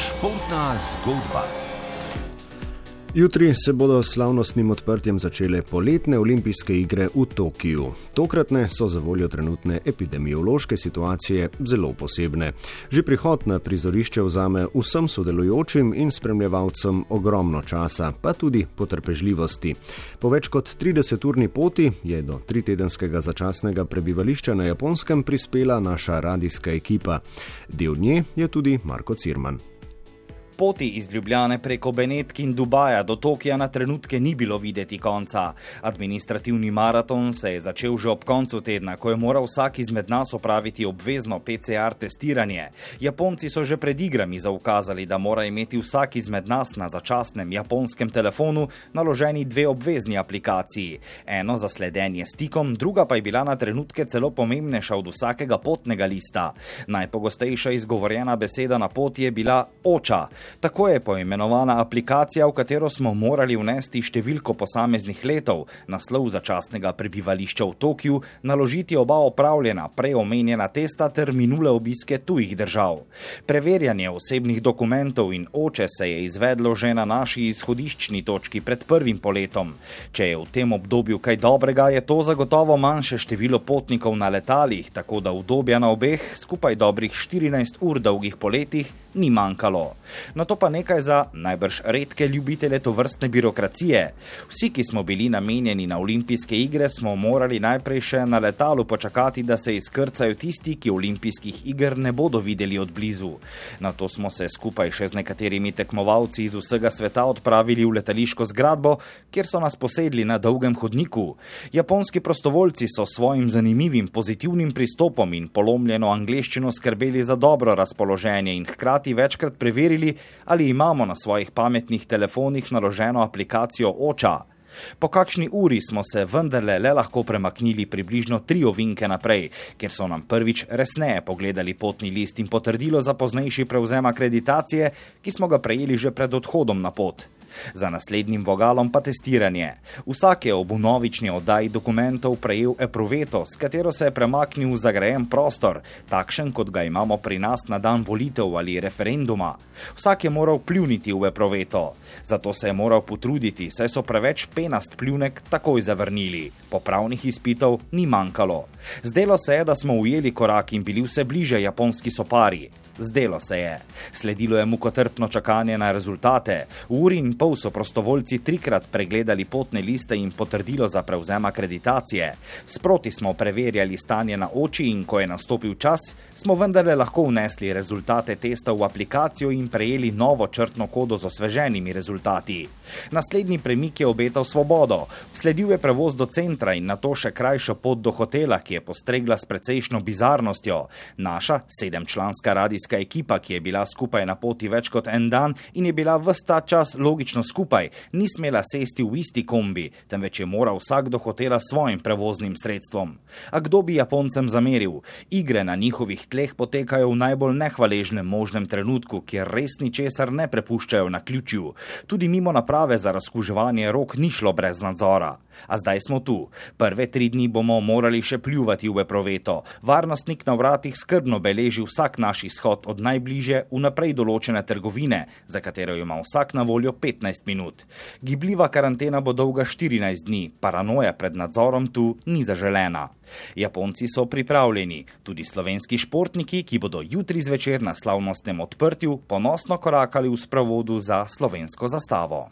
Športna zgodba. Jutri se bodo s slavnostnim odprtjem začele poletne olimpijske igre v Tokiu. Tokratne so za voljo trenutne epidemiološke situacije zelo posebne. Že prihod na prizorišče vzame vsem sodelujočim in spremljevalcem ogromno časa, pa tudi potrpežljivosti. Po več kot 30-urni poti je do 3-tedenskega začasnega prebivališča na Japonskem prispela naša radijska ekipa. Del nje je tudi Marko Cirman. Poti iz Ljubljane preko Benetk in Dubaja do Tokija na trenutke ni bilo videti konca. Administrativni maraton se je začel že ob koncu tedna, ko je moral vsak izmed nas opraviti obvezno PCR testiranje. Japonci so že pred igrami zaukazali, da mora imeti vsak izmed nas na začasnem japonskem telefonu naloženi 2 obvezni aplikaciji. Eno za sledenje stikom, druga pa je bila na trenutke celo pomembnejša od vsakega potnega lista. Najpogostejša izgovorjena beseda na poti je bila oča. Tako je poimenovana aplikacija, v katero smo morali vnesti številko posameznih letov, naslov začasnega prebivališča v Tokiu, naložiti oba opravljena, prej omenjena testa ter minule obiske tujih držav. Preverjanje osebnih dokumentov in oče se je izvedlo že na naši izhodiščni točki pred prvim poletom. Če je v tem obdobju kaj dobrega, je to zagotovo manjše število potnikov na letalih, tako da udobja na obeh, skupaj dobrih 14 ur dolgih poletih, ni manjkalo. No to pa nekaj za najbrž redke ljubitelje tovrstne birokracije. Vsi, ki smo bili namenjeni na olimpijske igre, smo morali najprej še na letalu počakati, da se izkrcajo tisti, ki olimpijskih iger ne bodo videli od blizu. Nato smo se skupaj še z nekaterimi tekmovalci iz vsega sveta odpravili v letališko zgradbo, kjer so nas posedli na dolgem hodniku. Japonski prostovoljci so svojim zanimivim, pozitivnim pristopom in polomljeno angleščino skrbeli za dobro razpoloženje in hkrati večkrat preverili, ali imamo na svojih pametnih telefonih naloženo aplikacijo oča. Po kakšni uri smo se vendarle le lahko premaknili približno 3 ovinke naprej, ker so nam prvič resneje pogledali potni list in potrdilo za poznejši prevzem akreditacije, ki smo ga prejeli že pred odhodom na pot. Za naslednjim vogalom pa testiranje. Vsak je ob vnovični oddaji dokumentov prejel epruveto, s katero se je premaknil v zagrajen prostor, takšen kot ga imamo pri nas na dan volitev ali referenduma. Vsak je moral pljuniti v epruveto. Zato se je moral potruditi, saj so preveč penast pljunek takoj zavrnili. Popravnih izpitov ni manjkalo. Zdelo se je, da smo ujeli korak in bili vse bliže japonski sopari. Zdelo se je. Sledilo je mukotrpno čakanje na rezultate. V uri in pol so prostovoljci 3-krat pregledali potne liste in potrdilo za prevzem akreditacije. Sproti smo preverjali stanje na oči in ko je nastopil čas, smo vendarle lahko vnesli rezultate testa v aplikacijo in prejeli novo črtno kodo z osveženimi rezultati. Naslednji premik je obetal svobodo. Sledil je prevoz do centra in nato še krajša pot do hotela, ki je postregla s precejšno bizarnostjo. Naša 7-članska radijska ekipa, ki je bila skupaj na poti več kot en dan in je bila ves ta čas logično skupaj, ni smela sesti v isti kombi, temveč je moral vsak do hotela s svojim prevoznim sredstvom. A kdo bi Japoncem zameril? Igre na njihovih tleh potekajo v najbolj nehvaležnem možnem trenutku, kjer res ničesar ne prepuščajo naključju. Tudi mimo naprave za razkuževanje rok ni šlo brez nadzora. A zdaj smo tu. Prve 3 dni bomo morali še pljuvati v epruveto. Varnostnik na vratih skrbno beleži vsak naš izhod od najbližje vnaprej določene trgovine, za katero ima vsak na voljo 15 minut. Gibljiva karantena bo dolga 14 dni, paranoja pred nadzorom tu ni zaželena. Japonci so pripravljeni, tudi slovenski športniki, ki bodo jutri zvečer na slavnostnem odprtju ponosno korakali v sprevodu za slovensko zastavo.